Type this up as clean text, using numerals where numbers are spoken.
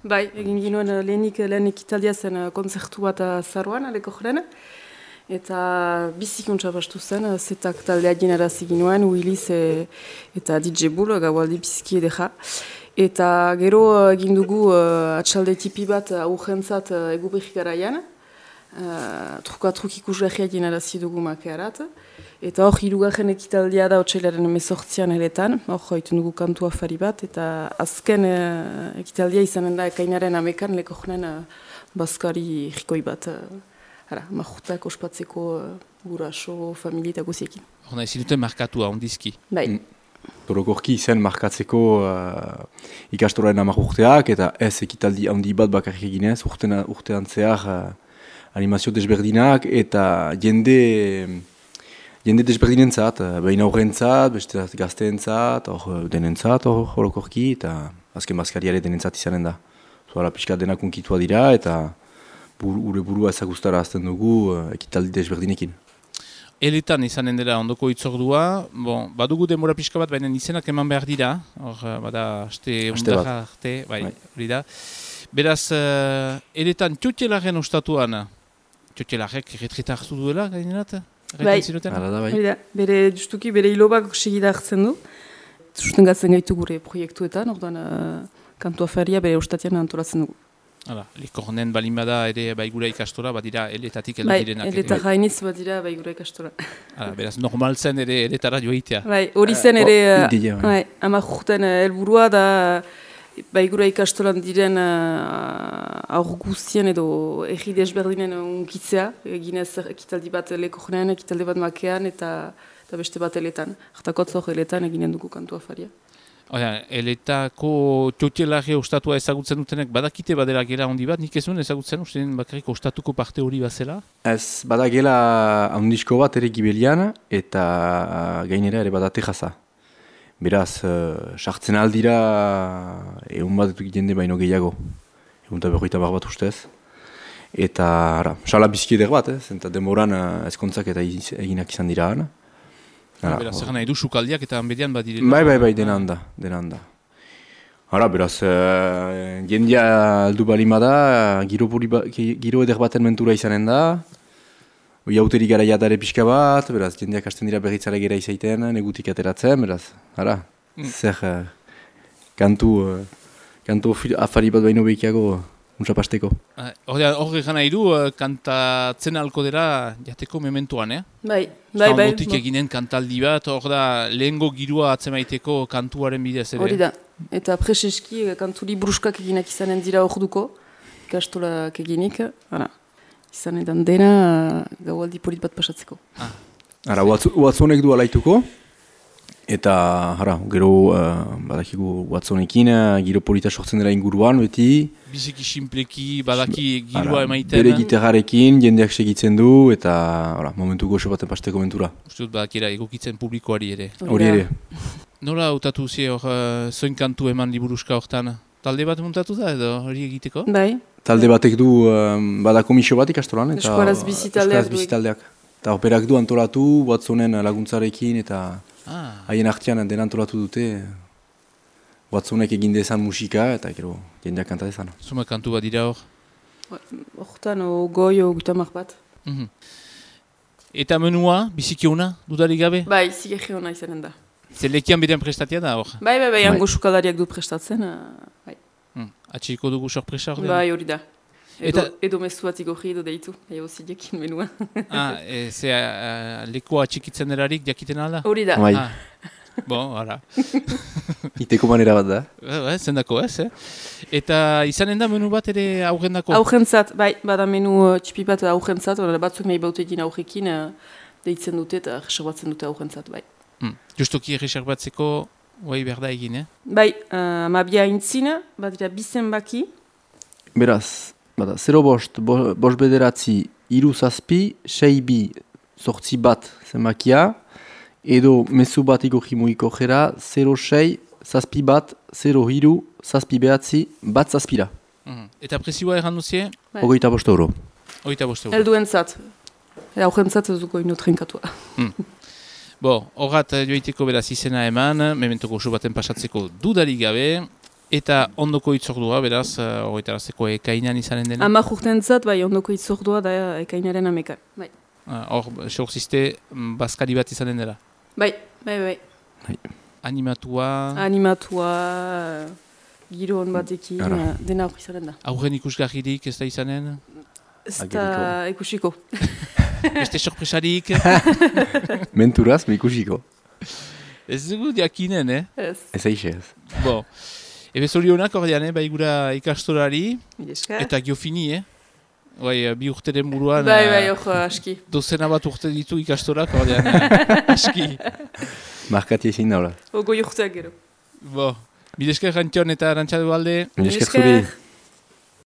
Bai, egin ginuen lehen ekitaldia zen kontzertu bat azaroan, aleko jaren. Eta bizikuntza bastu zen, zetak taldea ginarazi ginuen, Willis eta DJ Bull, gaualdi biziki edera. Eta gero egin dugu atxalde tipi bat aurrentzat egubrik garaian. Truk ikusgarria ginarazi dugu makearat. Eta hor, hirugarren ekitaldia da otsailaren 18an eletan, hor joitu dugu kantu afari bat, eta azken ekitaldia izanen da ekainaren amekan leko jonen bazkari jikoi bat. Majutak ospatzeko guraso, familie eta guziekin. Hona, ezin duten markatua, ondizki. Bai. Orokorki izen markatzeko ikastoraren 10 urteak, eta ez ekitaldi handi bat bakarrik eginez, urtean zehar animazio desberdinak, eta jende desberdinentzat, behin aurrentzat, beste gazteentzat, denentzat orokorki, eta azken bazkariare denentzat izanen da. Zuara pixka denak unkitua dira, eta ure burua ezagustara azten dugu ekitaldi desberdinekin. Eletan izanen dela ondoko itzordua, badugu denbora pixka bat, baina izenak eman behar dira, bada aste arte, bai, hori da. Beraz, eletan txotxelaren ostatuan, txotxelarek retreta hartu duela, gainerat? Bai, bere justuki bere hilobak segida hartzen du, sustengatzen gaitu gure proiektuetan, orduan kantu afaria bere ostatian antolatzen dugu. Hala, likornen balin bada ere baigura ikastora, badira eletatik heldu direnak. Bai, eleta gainiz badira baigura ikastora. Hala, beraz, normal zen ere eletara joitea. Bai, hori zen ere, 10 urten helburua da baigura ikastoran diren aur guztien edo erri desberdinen unkitzea, eginez ekitaldi bat lekornen, ekitaldi bat makean eta beste bat eletan. Artakotzok eletan eginen dugu kantu afaria. Eletako txotxelare ostatua ezagutzen dutenek badakite badela gela handi bat, nik ez duen ezagutzen ustean bakarrik ostatuko parte hori bazela? Ez, badagela handisko bat ere gibelian eta gainera ere badate jaza. Beraz, sartzen aldira egun bat jende baino gehiago, egun eta 50 bat ustez. Eta, sala bizkieder bat, eta demoran ezkontzak eta eginak izan dira. Beraz, egan nahi du sukaldiak eta hanbedian badirela? Bai, dena handa. Beraz, jendia aldu balima da, giro eder baten mentura izanen da, hauteri gara jatare pixka bat, beraz, jendeak hasten dira berritzara gera izaiten, negutik ateratzen, beraz, zer kantu afari bat baino behikiago untsapasteko. Hor egan nahi du, kantatzen alko dela jateko mementuan, Bai. Zangotik eginen kantaldi bat, hor da lehengo girua atzemaiteko kantuaren bidez ere. Hori da, eta preseski kanturi bruskak eginak izanen dira hor duko, ikastolak eginik, izan edan dena gaualdi polit bat pasatzeko. Watsonek du alaituko, eta gero badakigu Watsonekin, giro polita sortzen dela inguruan, beti. Biziki simpleki, badaki girua emaiten. Bere gitarrarekin, jendeak segitzen du, eta momentu goxo baten pasteko mentura. Uste dut badakera egokitzen publikoari ere. Hori ere. Nola hautatu zi hor zoin kantu eman liburuska hortan? Talde bat muntatu da edo hori egiteko? Bai. Talde batek du, bada komisio bat ikastoran. Eskoraz bizitaldeak. Eta operak du antolatu, Watsonen laguntzarekin, eta haien artean den antolatu dute. Watsonek egin dezan musika, eta gero jendeak kanta dezan. Zuma kantu bat dira hor? Hortan, goi gutamak bat. Eta menua, biziki hona, dudarik gabe? Bai, zigegi hona izanen da. Zelekian beren prestatia da hor? Bai, hango sukalariak du prestatzen. Atxiko dugu sorpresa hor? Bai, hori da. Edo mezu bat igorri edo deitu, haio zidekin menua. Lekoa atxikitzen erarik jakiten alda? Hori da. Bon, hala. Iteko manera bat da. Zendako ez, Eta izanen da menu bat ere aurrendako? Aurrentzat, bai, bada menu txipi bat aurrentzat, batzuk nahi bautekin aurrekin deitzen dute eta reserbatzen dute aurrentzat, bai. Justoki reserbatzeko, guai berda egin, Bai, amabia intzina, badira bizen baki. Beraz, bada, 0 bost bederatzi, 3 zazpi, 6 bi, 8 bat zenbakia, edo mezu bat igorri muiko jera, 0,6, zazpi bat, 0,2, zazpi behatzi, bat zazpira. Eta presioa erran duzie? €25. Elduentzat. Aurrentzat ez duko ino trenkatua. Horrat joiteko beraz izena eman, mementoko oso baten pasatzeko dudarik gabe, Eta ondoko itzordua, beraz, horretarazteko ekainan izanen dena? 10 urtentzat, bai, ondoko itzordua da ekainaren 11. Bai. Hor, sehorzizte, bazkari bat izanen dela? Bai. Animatua, giro hon batekin, dena hori izanen da. Aurren ikusgarririk ez da izanen? Ez da ikusiko. Beste sorpresarik? Menturaz, ikusiko. Ez dugu diakinen, Ez aixe ez. Bo, ebe zorionak ordean, bai gura ikastorari, Esker. eta giofini, Bai, 2 urteren buruan... Bai, aski. Dozena bat urte ditu ikastorak, ordean, aski. Markati ezin daula. Goi urteak gero. Bo, Milesker Rantion eta Arantxa Dualde. Milesker zuri.